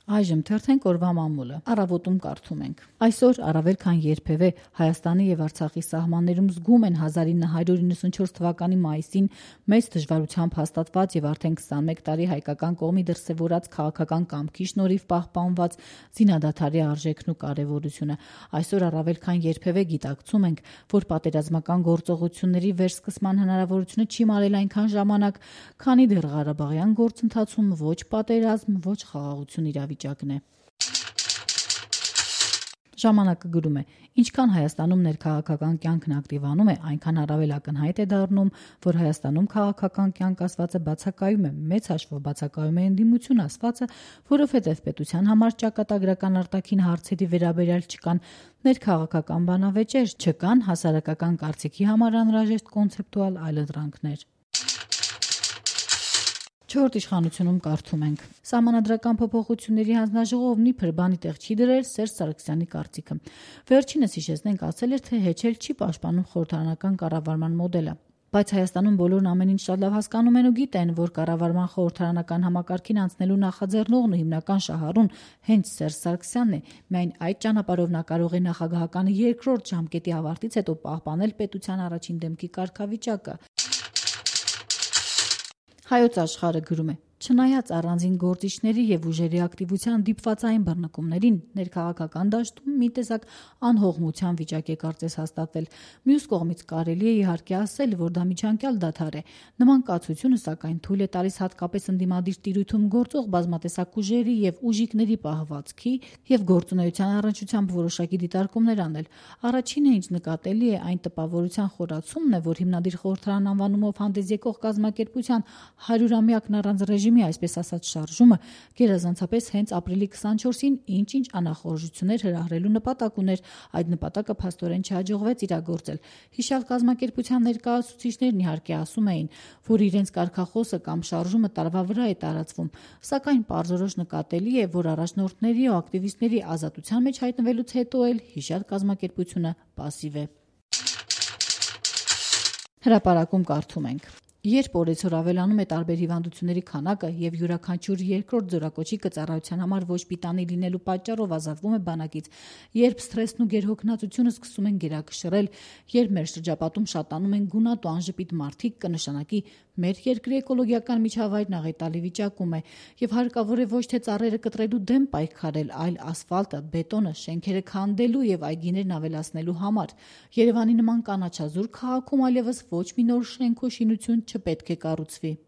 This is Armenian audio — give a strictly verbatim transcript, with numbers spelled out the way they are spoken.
Այժմ թերթենք օրվա մամուլը։ Առավոտում կարդում ենք. Այսօր առավել քան երբևէ Հայաստանի եւ Արցախի սահմաններում զգում են հազար ինը հարյուր իննսունչորս թվականի մայիսին մեծ դժվարությամբ հաստատված եւ արդեն քսանմեկ տարի հայկական կողմի դրսեւորած քաղաքական կամքի շնորհիվ պահպանված զինադադարի արժեքն ու կարեւորությունը։ Այսօր առավել քան երբևէ գիտակցում ենք, որ պատերազմական գործողությունների վերսկսման հնարավորությունը չի մարել այնքան ժամանակ, քանի դեռ Ղարաբաղյան գործընթացում ոչ պատերազմ, ոչ խաղաղություն իրավիճակն է։ Ժամանակը գրում է. ինչքան Հայաստանում ներքաղաքական կյանքն ակտիվանում է, այնքան առավել ակնհայտ է դառնում, որ Հայաստանում քաղաքական կյանք ասվածը բացակայում է, մեծ հաշվով բացակայում է ընդդիմություն ասվածը, որովհետև պետության համար ճակատագրական արտաքին հարցերի վերաբերյալ չկան ներքաղաքական բանավեճեր, չկան հասարակական կարծիքի համար անհրաժեշտ կոնցեպտուալ այլընտրանքներ։ Չորրորդ իշխանությունում կարդում ենք. Սահմանադրական փոփոխությունների հանձնաժողովն իբր բանի տեղ չի դրել Սերժ Սարգսյանի կարծիքը։ Վերջինս հիշեցնենք ասել էր, թե հեչել չի պաշտպանում խորհրդարանական կառավարման մոդելը։ Բայց Հայաստանում բոլորն ամեն ինչ շատ լավ հասկանում են ու գիտեն, որ կառավարման խորհրդարանական համակարգին անցնելու նախաձեռնողն ու հիմնական շահառուն հենց Սերժ Սարգսյանն է։ Միայն այդ ճանապարհով նա կարող է նախագահականի երկրորդ ժամկետի ավարտից հետո պահպանել պետության առաջին դեմքի կարգավիճակը։ Հայոց աշխարհը գրում է. Չնայած առանձին գործիչների եւ ուժերի ակտիվության դիպվածային բռնկումներին, ներքաղաքական դաշտում մի տեսակ անհողմության վիճակ է կարծես հաստատվել։ Մյուս կողմից կարելի է իհարկե ասել, որ դա միջանկյալ դադար է։ Նման կացությունը սակայն թույլ է տալիս հատկապես ընդդիմադիր տիրույթում գործող բազմատեսակ ուժերի եւ ուժիկների պահվածքի եւ գործունեության առնչությամբ որոշակի դիտարկումներ անել։ Առաջինը, ինչ նկատելի է, այն տպավորության խորացումն է, որ հիմնադիր խորհրդարան անվանումով հանդես եկող կազմակերպության հարյուրամյակն առանց ռեժիմի, այսպես ասած, շարժումը գերազանցապես հենց ապրիլի քսանչորսին ինչ-ինչ անախորժություններ հրահրելու նպատակ ուներ, այդ նպատակը փաստորեն չհաջողվեց իրագործել։ Հիշյալ կազմակերպության ներկայացուցիչներն իհարկե ասում էին, որ իրենց կարգախոսը կամ շարժումը տարվա վրա է տարածվում, սակայն պարզորոշ նկատելի է, որ առաջնորդների ու ակտիվիստների ազատության մեջ հայտնվելուց հետո էլ հիշյալ կազմակերպությունը պասիվ է։ Հրապարակում կարդում ենք. Երբ օրեցօր ավելանում է տարբեր հիվանդությունների քանակը եւ յուրաքանչյուր երկրորդ զորակոչիկը ծառայության համար ոչ պիտանի լինելու պատճառով ազատվում է բանակից, երբ սթրեսն ու գերհոգնածությունը սկսում են գերակշռել, երբ մեր շրջապատում շատանում են գունատ ու անժպիտ մարդիկ, կնշանակի մեր երկրի էկոլոգիական միջավայրն աղետալի վիճակում է եւ հարկավոր է ոչ թե ծառերը կտրելու դեմ պայքարել, այլ ասֆալտը, բետոնը, շենքերը քանդելու եւ այգիներն ավելացնելու համար։ Երևանի նման կանաչազուրկ քաղաքում այլևս ոչ մի նոր շենք ու շինություն չպետք է կառուցվի։